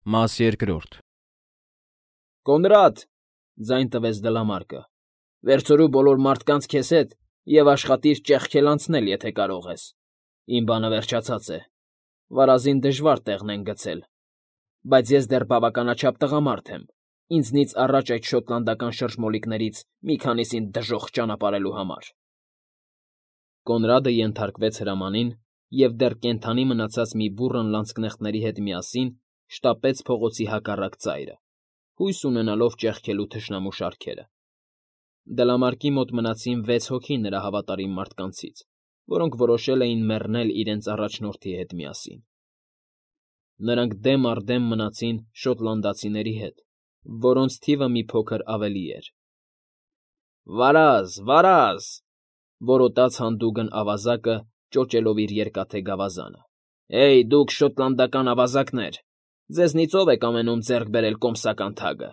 Մաս երկրորդ։ Կոնրադ,֊ ձայն տվեց Դլամարկը,֊ վերցրու բոլոր մարդկանց քեզ հետ և աշխատիր ճեղքել անցնել, եթե կարող ես. իմ բանը վերջացած է, վարազին դժվար տեղն են գցել, բայց ես դեռ բավականաչափ տղամարդ եմ, ինձնից առաջ այդ շոտլանդական շրջմոլիկներից մի քանիսին դժոխք ճանապարհելու համար… Կոնրադը ենթարկվեց հրամանին և դեռ կենդանի մնացած մի բուռն լանցկնեխտների հետ միասին շտապեց փողոցի հակառակ ծայրը, հույս ունենալով ճեղքելու թշնամու շարքերը… Դլամարկի մոտ մնացին 6 հոգի նրա հավատարիմ մարդկանցից, որոնք որոշել էին մեռնել իրենց առաջնորդի հետ միասին… Նրանք դեմ առ դեմ մնացին շոտլանդացիների հետ, որոնց թիվը մի փոքր ավելի էր… Վարազ, վարազ,֊ որոտաց հանդուգն ավազակը, ճոճելով իր երկաթե գավազանը։֊ Հեյ, դուք շոտլանդական ավազակներ, ձեզնից ո՞վ է կամենում ձեռք բերել կոմսական թագը,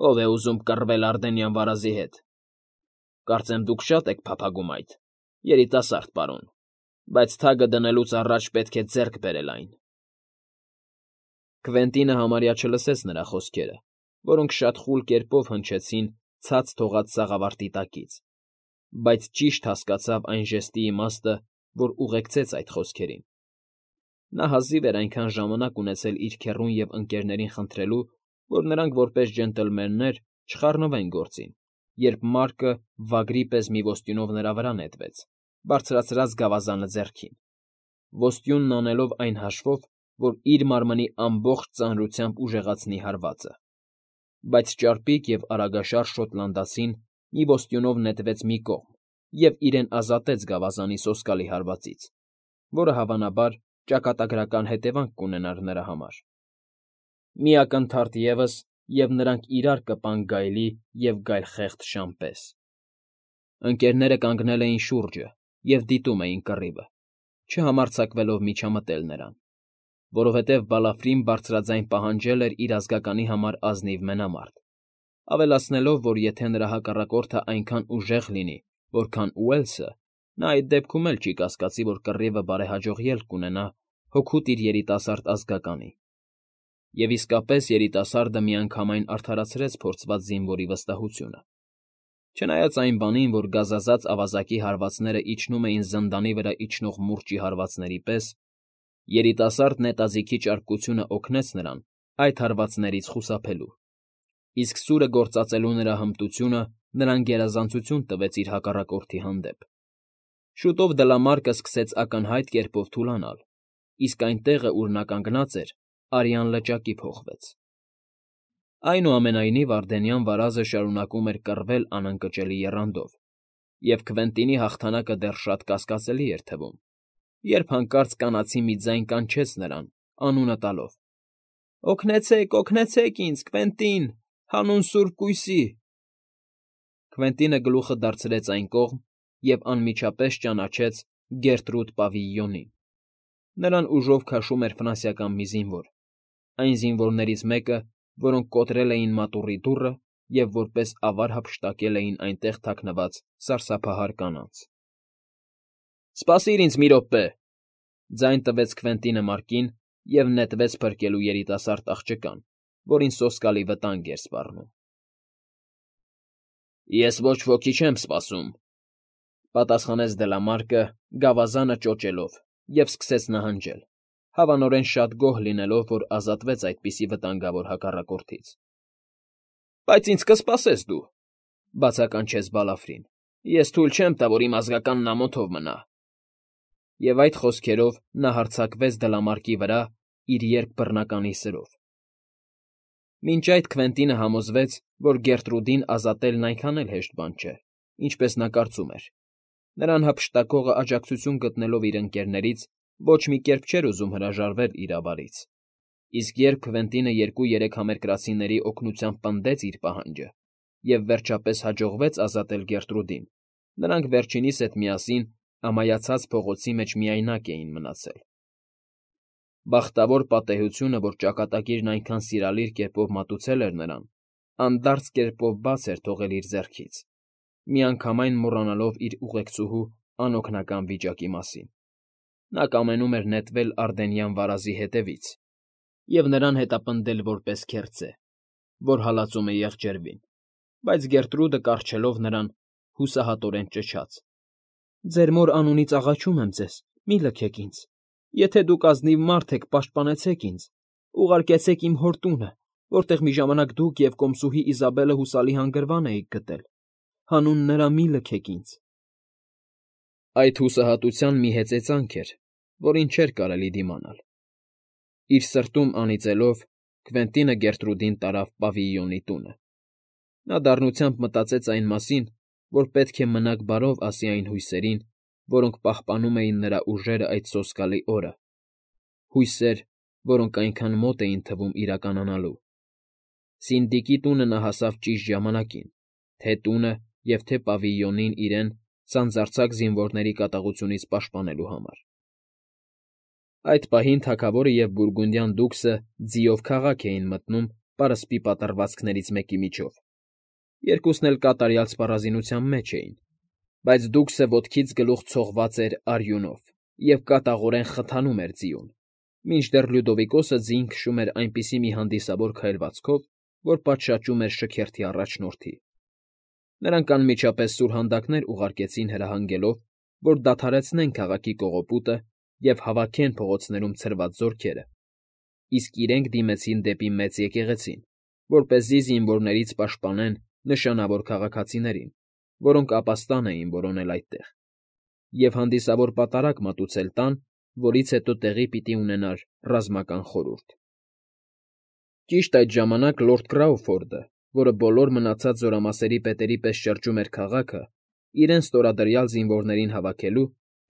ով է ուզում կռվել Ардենյան վարազի հետ… Կարծեմ դուք շատ եք փափագում այդ, երիտասարդ պարոն, բայց թագը դնելուց առաջ պետք է ձեռք բերել այն… Քվենտինը համարյա չլսեց նրա խոսքերը, որոնք շատ խուլ կերպով հնչեցին ցած թողած սաղավարտի տակից, բայց ճիշտ հասկացավ այն ժեստի իմաստը, որ ուղեկցեց այդ խոսքերին… Նա հազիվ էր այնքան ժամանակ ունեցել իր քեռուն և ընկերներին խնդրելու, որ նրանք որպես ջենտլմեններ չխառնվեն գործին, երբ Մարկը վագրի պես մի ոստյունով նրա վրա նետվեց, բարձրացրած գավազանը ձեռքին, ոստյունն անելով այն հաշվով, որ իր մարմնի ամբողջ ծանրությամբ ուժեղացնի հարվածը… Բայց ճարպիկ և արագաշարժ շոտլանդացին մի ոստյունով նետվեց մի կողմ և իրեն ազատեց գավազանի սոսկալի հարվածից, որը, հավանաբար, ճակատագրական հետևանք կունենար նրա համար… Մի ակնթարթ ևս, և նրանք իրար կպան գայլի և գայլխեղդ շան պես… Ընկերները կանգնել էին շուրջը և դիտում էին կռիվը, չհամարձակվելով միջամտել նրան, որովհետև Բալաֆրին բարձրաձայն պահանջել էր իր ազգականի համար ազնիվ մենամարտ, ավելացնելով, որ եթե նրա հակառակորդն այնքան ուժեղ լինի, որքան Ուելսը, նա այդ դեպքում էլ չի կասկածի, որ կռիվը բարեհաջող ելք կունենա հօգուտ իր երիտասարդ ազգականի… Եվ իսկապես երիտասարդը միանգամայն արդարացրեց փորձված զինվորի վստահությունը… Չնայած այն բանին, որ գազազած ավազակի հարվածներն իջնում էին զնդանի վրա իջնող մուրճի հարվածների պես, երիտասարդ նետաձիգի ճարպկությունը օգնեց նրան այդ հարվածներից խուսափելու, իսկ սուրը գործածելու նրա հմտությունը նրան գերազանցություն տվեց իր հակառակորդի հանդեպ… Շուտով Դլամարկը սկսեց ակնհայտ կերպով թուլանալ, իսկ այն տեղը, ուր նա կանգնած էր, արյան լճակի փոխվեց… Այնուամենայնիվ Ардենյան վարազը շարունակում էր կռվել անընկճելի եռանդով, և Քվենտինի հաղթանակը դեռ շատ կասկածելի էր թվում, երբ հանկարծ կանացի մի ձայն կանչեց նրան, անունը տալով. «Օգնեցե՛ք, օգնեցե՛ք ինձ, Քվենտին, հանուն սուրբ կույսի…» Քվենտինը գլուխը դարձրեց այն կողմ և անմիջապես ճանաչեց Գերտրուդ Պավիլյոնին… Նրան ուժով քաշում էր ֆրանսիական մի զինվոր, այն զինվորներից մեկը, որոնք կոտրել էին մատուռի դուռը և որպես ավար հափշտակել էին այնտեղ թաքնված սարսափահար կանանց։ ֊ Սպասիր ինձ մի րոպե,֊ ձայն տվեց Քվենտինը Մարկին և նետվեց փրկելու երիտասարդ աղջկան, որին սոսկալի վտանգ էր սպառնում։ ֊ Ես ոչ ոքի չեմ սպասում,֊ պատասխանեց Դլամարկը, գավազանը ճոճելով, և սկսեց նահանջել, հավանորեն շատ գոհ լինելով, որ ազատվեց այդպիսի վտանգավոր հակառակորդից։ ֊ Բայց ինձ կսպասես դու,֊ բացականչեց Բալաֆրին,֊ ես թույլ չեմ տա, որ իմ ազգականն ամոթով մնա… Եվ այդ խոսքերով նա հարձակվեց Դլամարկի վրա իր երկբռնականի սրով… Մինչ այդ Քվենտինը համոզվեց, որ Գերտրուդին ազատելն այնքան էլ հեշտ բան չէ, ինչպես նա կարծում էր… Նրան հափշտակողը աջակցություն գտնելով իր ընկերներից ոչ մի կերպ չէր ուզում հրաժարվել իր ավարից, իսկ երբ Քվենտինը 2-3 համերկրացիների օգնությամբ պնդեց իր պահանջը և վերջապես հաջողվեց ազատել Գերտրուդին, նրանք վերջինիս հետ միասին ամայացած փողոցի մեջ միայնակ էին մնացել… Բախտավոր պատեհությունը, որ ճակատագիրն այնքան սիրալիր կերպով մատուցել էր նրան, անդարձ կերպով բաց էր թողել իր ձեռքից, միանգամայն մոռանալով իր ուղեկցուհու անօգնական վիճակի մասին… Նա կամենում էր նետվել Ардենյան վարազի հետևից, և նրան հետապնդել որպես քերծե, որ հալածում է եղջերվին, բայց Գերտրուդը կառչելով նրան, հուսահատորեն ճչաց. «Ձեր մոր անունից աղաչում եմ ձեզ, մի լքեք ինձ. եթե դուք ազնիվ մարդ եք, պաշտպանեցեք ինձ, ուղարկեցեք իմ հոր տունը, որտեղ մի ժամանակ դուք և կոմսուհի Իզաբելը հուսալի հանգրվան էիք գտել. հանուն նրա մի լքեք ինձ»։ Այդ հուսահատության մի հեծեծանք էր, որին չէր կարելի դիմանալ։ Իր սրտում անիծելով՝ Քվենտինը Գերտրուդին տարավ պավիլիոնի տունը։ Նա դառնությամբ մտածեց այն մասին, որ պետք է մնաք բարով ասի այն հույսերին, որոնք պահպանում էին նրա ուժերը այդ սոսկալի օրը, հույսեր, որոնք այնքան մոտ էին թվում իրականանալու։ Սինդիկի տունը նա հասավ ճիշտ ժամանակին, թե տունը և թե պավիլիոնին իրեն սանձարձակ զինվորների կատաղությունից պաշտպանելու համար։ Այդ պահին թագավորը և բուրգունդյան դուքսը ձիով քաղաք էին մտնում պարսպի պատռվածքներից մեկի միջով։ Երկուսն էլ կատարյալ սպառազինության մեջ էին, բայց դուքսը ոտքից գլուխ ցողված էր արյունով և կատաղորեն խթանում էր ձիուն, մինչդեռ Լյուդովիկոսը ձին քշում էր այնպիսի մի հանդիսավոր քայլվածքով, որ պատշաճում էր շքերթի առաջնորդի։ Նրանք անմիջապես սուրհանդակներ ուղարկեցին հրահանգելով, որ դադարեցնեն քաղաքի կողոպուտը և հավաքեն փողոցներում ցրված զորքերը, իսկ իրենք դիմեցին դեպի մեծ եկեղեցին, որպեսզի զինվորներից պաշտպանեն նշանավոր քաղաքացիներին, որոնք ապաստան էին որոնել այդտեղ, և հանդիսավոր պատարագ մատուցել տան, որից հետո տեղի պիտի ունենար ռազմական խորհուրդ։ Ճիշտ այդ ժամանակ լորդ Կրաուֆորդը, որը բոլոր մնացած զորամասերի պետերի պես շրջում էր քաղաքը, իրեն ստորադրյալ զինվորներին հավաքելու,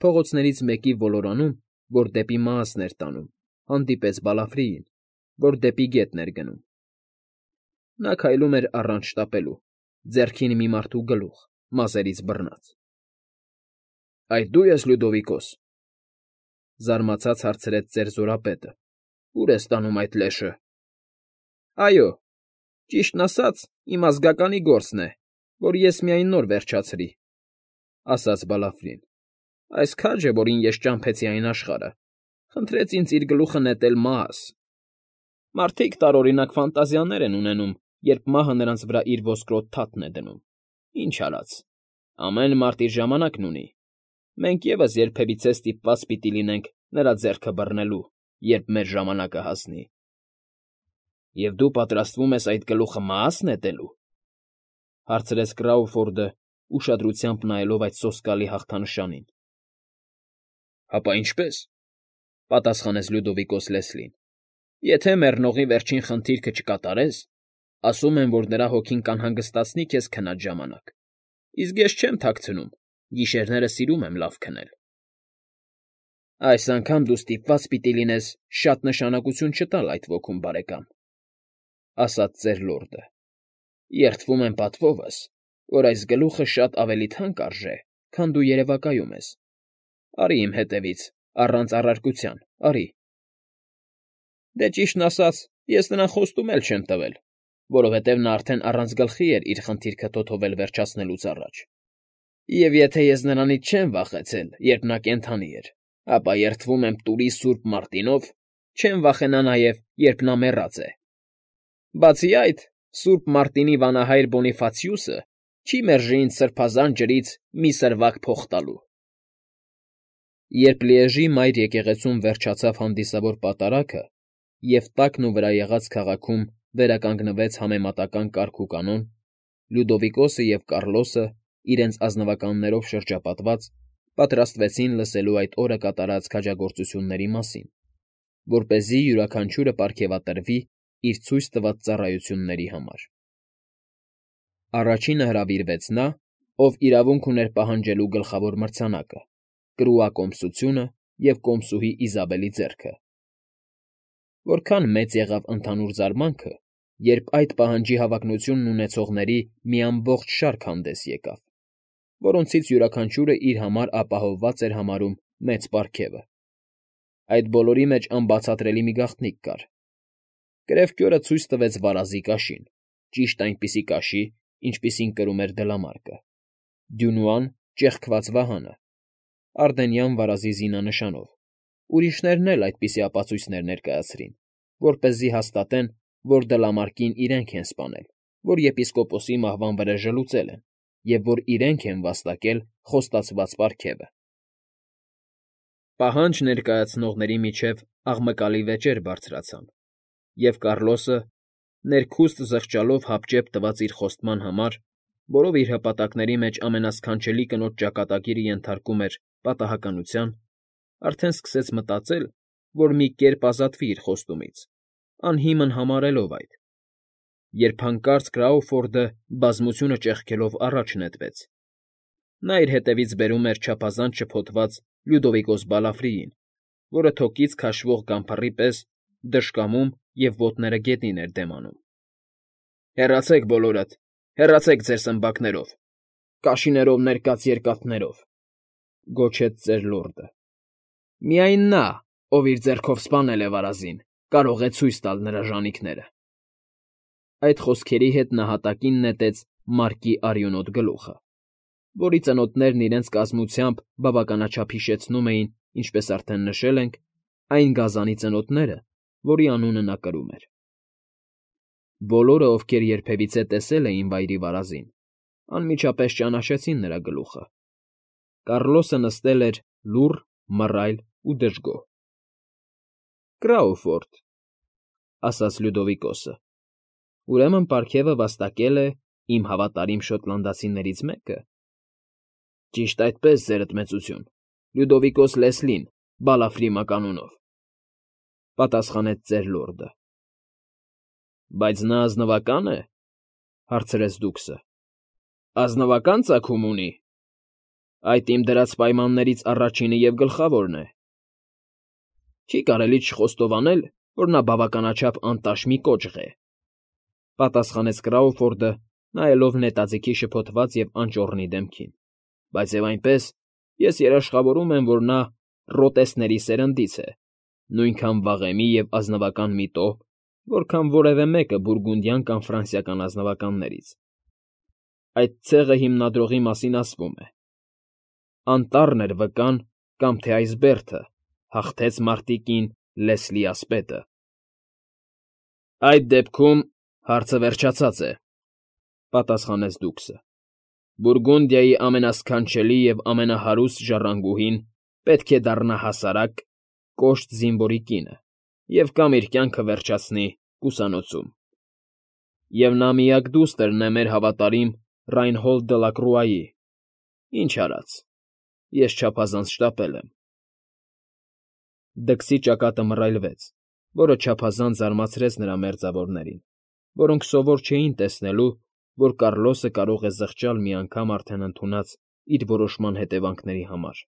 փողոցներից մեկի ոլորանում, որ դեպի Մաասն էր տանում, հանդիպեց Բալաֆրիին, որ դեպի գետն էր գնում։ Նա քայլում էր առանց շտապելու, ձեռքին մի մարդու գլուխ, մազերից բռնած։ ֊ Այդ դու ես, Լյուդովիկոս,֊ զարմացած հարցրեց ծեր զորապետը։ ֊ Ո՞ւր ես տանում այդ լեշը։ ֊ Այո, ճիշտն ասած, իմ ազգականի գործն է, որ ես միայն նոր վերջացրի,֊ ասաց Բալաֆրին։ ֊ Այս քաջը, որին ես ճամփեցի այն աշխարհը, խնդրեց ինձ իր գլուխը նետել Մաաս։ Մարդիկ տարօրինակ ֆանտազիաներ են ունենում, երբ մահը նրանց վրա իր ոսկրոտ թաթն է դնում։ Ինչ արած, ամեն մարդ իր ժամանակն ունի։ Մենք ևս երբևիցե ստիպված պիտի լինենք նրա ձեռքը բռնելու, երբ մեր ժամանակը հասնի։ ֊ Եվ դու պատրաստվում ես այդ գլուխը Մաաս նետելու,֊ հարցրեց Կրաուֆորդը, ուշադրությամբ նայելով այդ սոսկալի հաղթանշանին։ ֊ Հապա ինչպե՞ս,֊ պատասխանեց Լյուդովիկոս Լեսլին։ ֊ Եթե մեռնողի վերջին խնդիրքը չկատարես, ասում են, որ նրա հոգին կանհանգստացնի քեզ քնած ժամանակ, իսկ ես չեմ թաքցնում, գիշերները սիրում եմ լավ քնել։ ֊ Այս անգամ դու ստիպված պիտի լինես շատ նշանակություն չտալ այդ ոգուն, բարեկամ,֊ ասաց ծեր լորդը։ ֊ Երդվում եմ պատվովս, որ այս գլուխը շատ ավելի թանկ արժե, քան դու երևակայում ես։ Արի իմ հետևից, առանց առարկության, արի։ Դե ճիշտն ասած, ես նրան խոստում էլ չեմ տվել, որովհետև նա արդեն առանց գլխի էր իր խնդիրքը թոթովել վերջացնելուց առաջ։ Եվ եթե ես նրանից չեմ վախեցել, երբ նա կենդանի էր, ապա երդվում եմ տուրի Սուրբ Մարտինով, չեմ վախենա նաև, երբ նա մեռած է։ Բացի այդ, Սուրբ Մարտինի վանահայր Բոնիֆացիուսը չի մերժի ինձ սրբազան ջրից մի սրվակ փոխ տալու։ Երբ Լիեժի մայր եկեղեցում վերջացավ հանդիսավոր պատարագը, և տակն ու վրա եղած քաղաքում վերականգնվեց համեմատական կարգ ու կանոն, Լյուդովիկոսը և Կառլոսը, իրենց ազնվականներով շրջապատված, պատրաստվեցին լսելու այդ օրը կատարած քաջագործությունների մասին, որպեսզի յուրաքանչյուրը պարգևատրվի իր ցույց տված ծառայությունների համար։ Առաջինը հրավիրվեց նա, ով իրավունք ուներ պահանջելու գլխավոր մրցանակը՝ կրուակոմսությունը և կոմսուհի Իզաբելի ձեռքը։ Որքան մեծ եղավ ընդհանուր զարմանքը, երբ այդ պահանջի հավակնությունն ունեցողների մի ամբողջ շարք հանդես եկավ, որոնցից յուրաքանչյուրը իր համար ապահովված էր համարում մեծ պարգևը։ Այդ բոլորի մեջ անբացատրելի մի գաղտնիք կար։ Կրևկյորը ցույց տվեց վարազի կաշին, ճիշտ այնպիսի կաշի, ինչպիսին կրում էր Դլամարկը, Դյունուան՝ ճեղքված վահանը, Արդենյան վարազի զինանշանով, ուրիշներն էլ այդպիսի ապացույցներ ներկայացրին, որպեսզի հաստատեն, որ դլամարկին իրենք են սպանել, որ եպիսկոպոսի մահվան վրեժը լուծել են, և որ իրենք են վաստակել խոստացված պարգևը։ Պահանջ ներկայացնողների միջև աղմկալի վեճեր բարձրացան, և Կառլոսը, ներքուստ զղջալով հապճեպ տված իր խոստման համար, որով իր հպատակների մեջ ամենասքանչելի կնոջ ճակատագիրը ենթարկում էր պատահականության, արդեն սկսեց մտածել, որ մի կերպ ազատվի իր խոստումից, անհիմն համարելով այդ, երբ հանկարծ Կրաուֆորդը բազմությունը ճեղքելով առաջ նետվեց. նա իր հետևից բերում էր չափազանց շփոթված Լյուդովիկոս Բալաֆրիին, որը թոկից քաշվող գամբառի պես դժկամում և ոտները գետին էր դեմ անում։ ֊ Հեռացեք բոլորդ, հեռացեք ձեր սմբակներով, կաշիներով ներկած երկաթներով,֊ գոչեց ծեր լորդը։ «Միայն նա, ով իր ձեռքով սպանել է վարազին, կարող է ցույց տալ նրա ժանիքները»։ Այդ խոսքերի հետ նա հատակին նետեց Մարկի արյունոտ գլուխը, որի ծնոտներն իրենց կազմությամբ բավականաչափ հիշեցնում էին, ինչպես արդեն նշել ենք, այն գազանի ծնոտները, որի անունը նա կրում էր։ Բոլորը, ովքեր երբևիցե տեսել էին վայրի վարազին, անմիջապես ճանաչեցին նրա գլուխը։ Կառլոսը նստել էր լուռ, մռայլ ու դժգոհ։ «Կրաուֆորդ,֊ ասաց Լյուդովիկոսը,֊ ուրեմն պարգևը վաստակել է իմ հավատարիմ շոտլանդացիներից մեկը։ ֊ Ճիշտ այդպես, ձերդ մեծություն, Լյուդովիկոս Լեսլին, Բալաֆրի մականունով,֊ պատասխանեց ծեր լորդը։ ֊ Բայց նա ազնվակա՞ն է,֊ հարցրեց դուքսը։ ֊ Ազնվակա՞ն ծագում ունի։ Այդ իմ դրած պայմաններից առաջինը և գլխավորն է։ Չի կարելի չխոստովանել, որ նա բավականաչափ անտաշ մի կոճղ է,֊ պատասխանեց Կրաուֆորդը, նայելով նետաձիգի շփոթված և անճոռնի դեմքին։ Բայց և այնպես, ես երաշխավորում եմ, որ նա ռոտեսների սերնդից է, նույնքան վաղեմի և ազնվական միտով, որքան որևէ մեկը բուրգունդյան կամ ֆրանսիական ազնվականներից։ Այդ ցեղը հիմնադրողի մասին ասվում է. անտառն էր վկան, կամ թե այս բերդը հաղթեց մարտիկին Լեսլի ասպետը։ ֊ Այդ դեպքում հարցը վերջացած է,֊ պատասխանեց դուքսը։ Բուրգունդիայի ամենասքանչելի և ամենահարուստ ժառանգուհին պետք է դառնա հասարակ, կոշտ զինվորի կինը և կամ իր կյանքը վերջացնի կուսանոցում։ Եվ նա միակ դուստրն է մեր հավատարիմ Ռայնհոլտ դը Լակրուայի։ Ինչ արած, ես չափազանց շտապել եմ։ Դքսի ճակատը մռայլվեց, որը չափազանց զարմացրեց նրա մերձավորներին, որոնք սովոր չէին տեսնելու, որ Կառլոսը կարող է զղջալ մի անգամ արդեն ընդունած իր որոշման հետևանքների համար։ ֊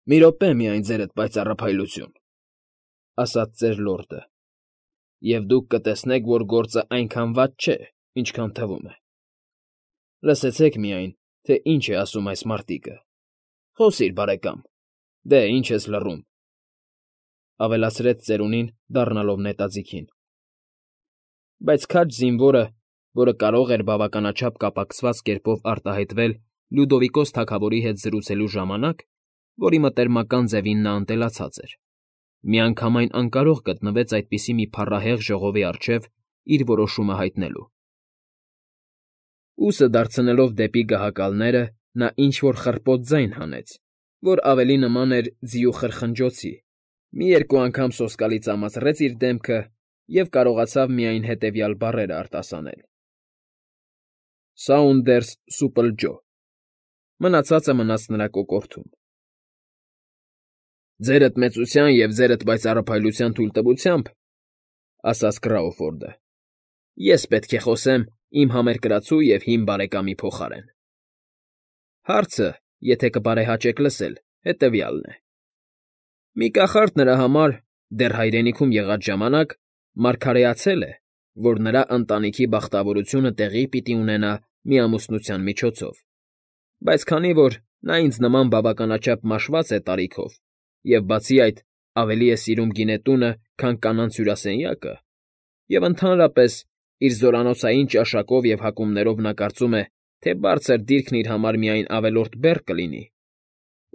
Մի րոպե միայն, ձերդ պայծառափայլություն,֊ ասաց ծեր լորդը,֊ և դուք կտեսնեք, որ գործը այնքան վատ չէ, ինչքան թվում է։ Լսեցեք միայն, թե ինչ է ասում այս մարտիկը։ Խոսիր, բարեկամ, դե, ինչ ես լռում,֊ ավելացրեց ծերունին, դառնալով նետաձիգին։ Բայց քաջ զինվորը, որը կարող էր բավականաչափ կապակցված կերպով արտահայտվել Լյուդովիկոս թագավորի հետ զրուցելու ժամանակ, որի մտերմական ձևին նա ընտելացած էր, միանգամայն անկարող գտնվեց այդպիսի մի փառահեղ ժողովի առջև իր որոշումը հայտնելու։ Ուսը դարձնելով դեպի գահակալները, նա ինչ֊որ խռպոտ ձայն հանեց, որ ավելի նման էր ձիու խրխնջոցի, մի երկու անգամ սոսկալի ծամացրեց իր դեմքը և կարողացավ միայն հետևյալ բառերը արտասանել. «Սաունդերս Սուպլ Ջո», մնացածը մնաց նրա կոկորդում։ ֊ Ձերդ մեծության և ձերդ պայծառափայլության թույլտվությամբ,֊ ասաց Կրաուֆորդը,֊ ես պետք է խոսեմ իմ համերկրացու և հին բարեկամի փոխարեն։ Հարցը, եթե կբարեհաճեք լսել, հետևյալն է. մի կախարդ նրա համար, դեռ հայրենիքում եղած ժամանակ, մարգարեացել է, որ նրա ընտանիքի բախտավորությունը տեղի պիտի ունենա մի ամուսնության միջոցով, բայց քանի որ նա ինձ նման բավականաչափ մաշված է տարիքով և, բացի այդ, ավելի է սիրում գինետունը, քան կանանց հյուրասենյակը, և ընդհանրապես իր զորանոցային ճաշակով և հակումներով նա կարծում է, թե բարձր դիրքն իր համար միայն ավելորդ բեռ կլինի,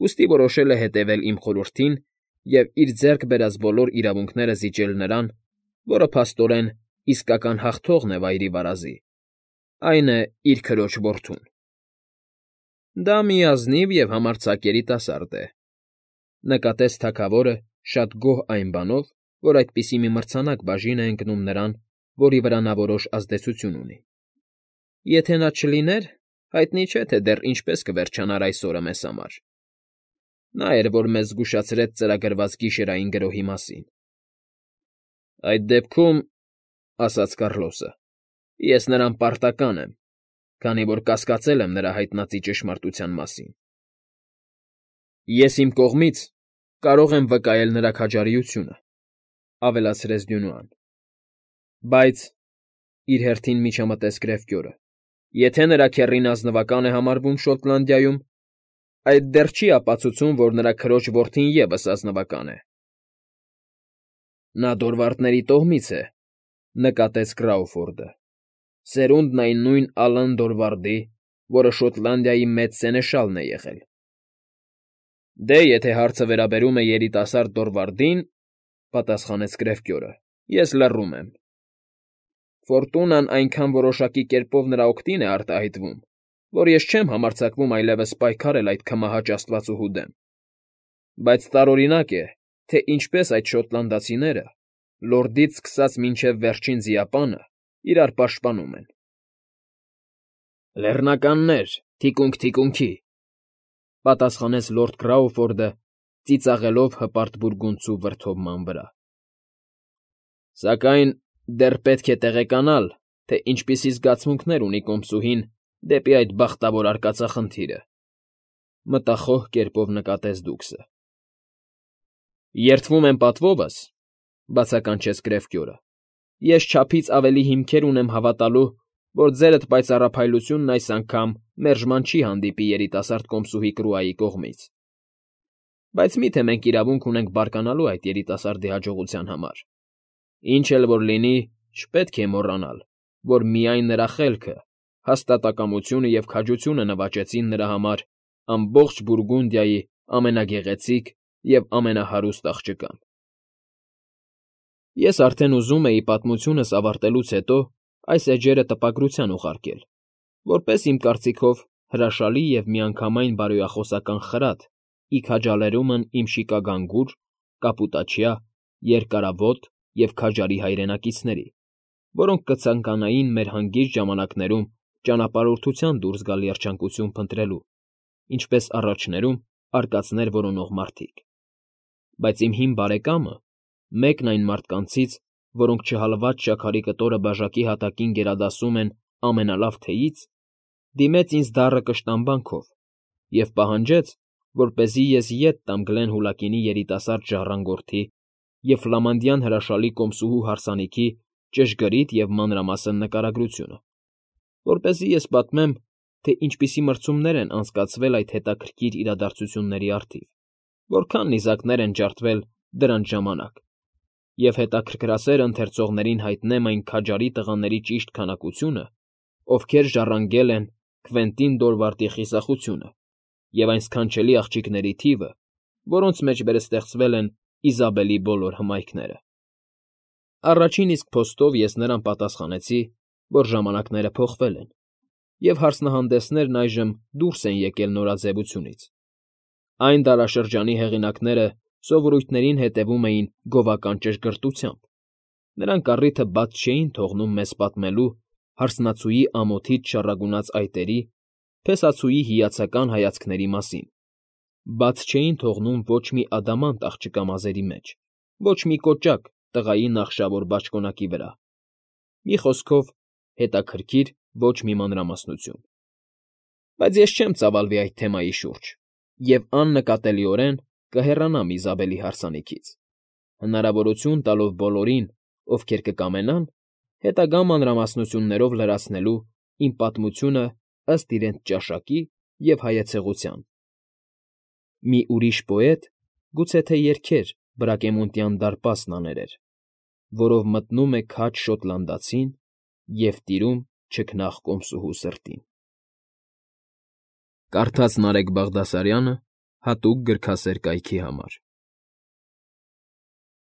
ուստի որոշել է հետևել իմ խորհրդին և իր ձեռք բերած բոլոր իրավունքները զիջել նրան, որը փաստորեն իսկական հաղթողն է վայրի վարազի, այն է իր քրոջ որդուն։ Դա մի ազնիվ և համարձակ երիտասարդ է,֊ նկատեց թագավորը շատ գոհ այն բանով, որ այդպիսի մի մրցանակ բաժին է ընկնում նրան, որի վրա նա որոշ ազդեցություն ունի։ Եթե նա չլիներ, հայտնի չէ, թե դեռ ինչպես կվերջանար այս օրը մեզ համար։ Նա էր, որ մեզ զգուշացրեց ծրագրված գիշերային գրոհի մասին։ Այդ դեպքում, ասաց Կառլոսը, ես նրան պարտական եմ, քանի որ կասկածել եմ նրա հայտնածի ճշմարտության մասին։ Ես իմ կողմից կարող եմ վկայել նրա քաջարիությունը,֊ ավելացրեց Դյունուան։ Բայց, իր հերթին միջամտեց Գրեֆկյորը, եթե նրա քեռին ազնվական է համարվում Շոտլանդիայում, այդ դեռ չի ապացուցում, որ նրա քրոջ որդին ևս ազնվական է։ Նա Դորվարդների տոհմից է,֊ նկատեց Կրաուֆորդը, սերունդն այն նույն Ալան Դորվարդի, որը Շոտլանդիայի մեծ սենեշալն է եղել։ Դե, եթե հարցը վերաբերում է երիտասարդ Դորվարդին,֊ պատասխանեց Գրեֆկյորը,֊ ես լռում եմ։ Ֆորտունան այնքան որոշակի կերպով նրա օգտին է արտահայտվում, որ ես չեմ համարձակվում այլևս պայքարել այդ քմահաճ աստվածուհու դեմ։ Բայց տարօրինակ է, թե ինչպես այդ շոտլանդացիները, լորդից սկսած մինչև վերջին ձիապանը, իրար պաշտպանում են։ Լեռնականներ, թիկունք թիկունքի,֊ պատասխանեց լորդ Կրաուֆորդը, ծիծաղելով հպարտ բուրգունդցու վրդովման վրա։ Սակայն դեռ պետք է տեղեկանալ, թե ինչպիսի զգացմունքներ ունի կոմսուհին դեպի այդ բախտավոր արկածախնդիրը,֊ մտախոհ կերպով նկատեց Դուքսը։ Երդվում եմ պատվովս,֊ բացականչեց Գրեֆկյորը,֊ ես չափից ավելի հիմքեր ունեմ հավատալու, որ ձերդ պայծառափայլությունն այս անգամ մերժման չի հանդիպի երիտասարդ կոմսուհի Կրուայի կողմից։ Բայց մի՞թե մենք իրավունք ունենք բարկանալու այդ երիտասարդի հաջողության համար։ Ինչ էլ որ լինի, չպետք է մոռանալ, որ միայն նրա խելքը, հաստատակամությունը և քաջությունը նվաճեցին նրա համար ամբողջ Բուրգունդիայի ամենագեղեցիկ և ամենահարուստ աղջկան։ Ես արդեն ուզում էի պատմությունս ավարտելուց հետո այս էջերը տպագրության ուղարկել, որպես իմ կարծիքով հրաշալի և միանգամայն բարոյախոսական խրատ ի քաջալերումն իմ շիկագանգուր, կապուտաչյա, երկարավոտ և քաջարի հայրենակիցների, որոնք կցանկանային մեր հանգիստ ժամանակներում ճանապարհորդության դուրս գալ երջանկություն փնտրելու, ինչպես առաջներում արկածներ որոնող մարդիկ։ Բայց իմ հին բարեկամը, մեկն այն մարդկանցից, որոնք չհալված շաքարի կտորը բաժակի հատակին գերադասում են ամենալավ թեյից, դիմեց ինձ դառը կշտամբանքով և պահանջեց, որպեսզի ես ետ տամ Գլենհուլակինի երիտասարդ ժառանգորդի և ֆլամանդյան հրաշալի կոմսուհու հարսանիքի ճշգրիտ և մանրամասն նկարագրությունը, որպեսզի ես պատմեմ, թե ինչպիսի մրցումներ են անցկացվել այդ հետաքրքիր իրադարձությունների առթիվ, որքան նիզակներ են ջարդվել դրանց ժամանակ, և հետաքրքրասեր ընթերցողներին հայտնեմ այն քաջարի տղաների ճիշտ քանակությունը, ովքեր ժառանգել են Քվենտին Դորվարդի խիզախությունը, և այն սքանչելի աղջիկների թիվը, որոնց մեջ վերստեղծվել են Իզաբելի բոլոր հմայքները։ Առաջին իսկ փոստով ես նրան պատասխանեցի, որ ժամանակները փոխվել են, և հարցնահանդեսներն այժմ դուրս են եկել նորաձևությունից։ Այն դարաշրջանի հեղինակները սովորույթներին հետևում էին գովական ճշգրտությամբ, նրանք առիթը բաց չէին թողնում մեզ պատմելու հարսնացուի ամոթից չառագունած այտերի, փեսացուի հիացական հայացքների մասին, բաց չէին թողնում ոչ մի ադամանտ աղջկա մազերի մեջ, ոչ մի կոճակ տղայի նախշավոր բաճկոնակի վրա, մի խոսքով, հետաքրքիր ոչ մի մանրամասնություն։ Բայց ես չեմ ծավալվի այդ թեմայի շուրջ և աննկատելիորեն կհեռանամ Իզաբելի հարսանիքից, հնարավորություն տալով բոլորին, ովքեր կկամենան, հետագա մանրամասնություններով լրացնելու իմ պատմությունը ըստ իրենց ճաշակի և հայեցողության։ Մի ուրիշ պոետ գուցե թե երգեր Բրակեմոնտյան դարպասն աներեր, որով մտնում է քաջ շոտլանդացին և տիրում չքնաղ կոմսուհու սրտին։ Կարդաց Նարեկ Բաղդասարյանը հատուկ գրքասեր կայքի համար։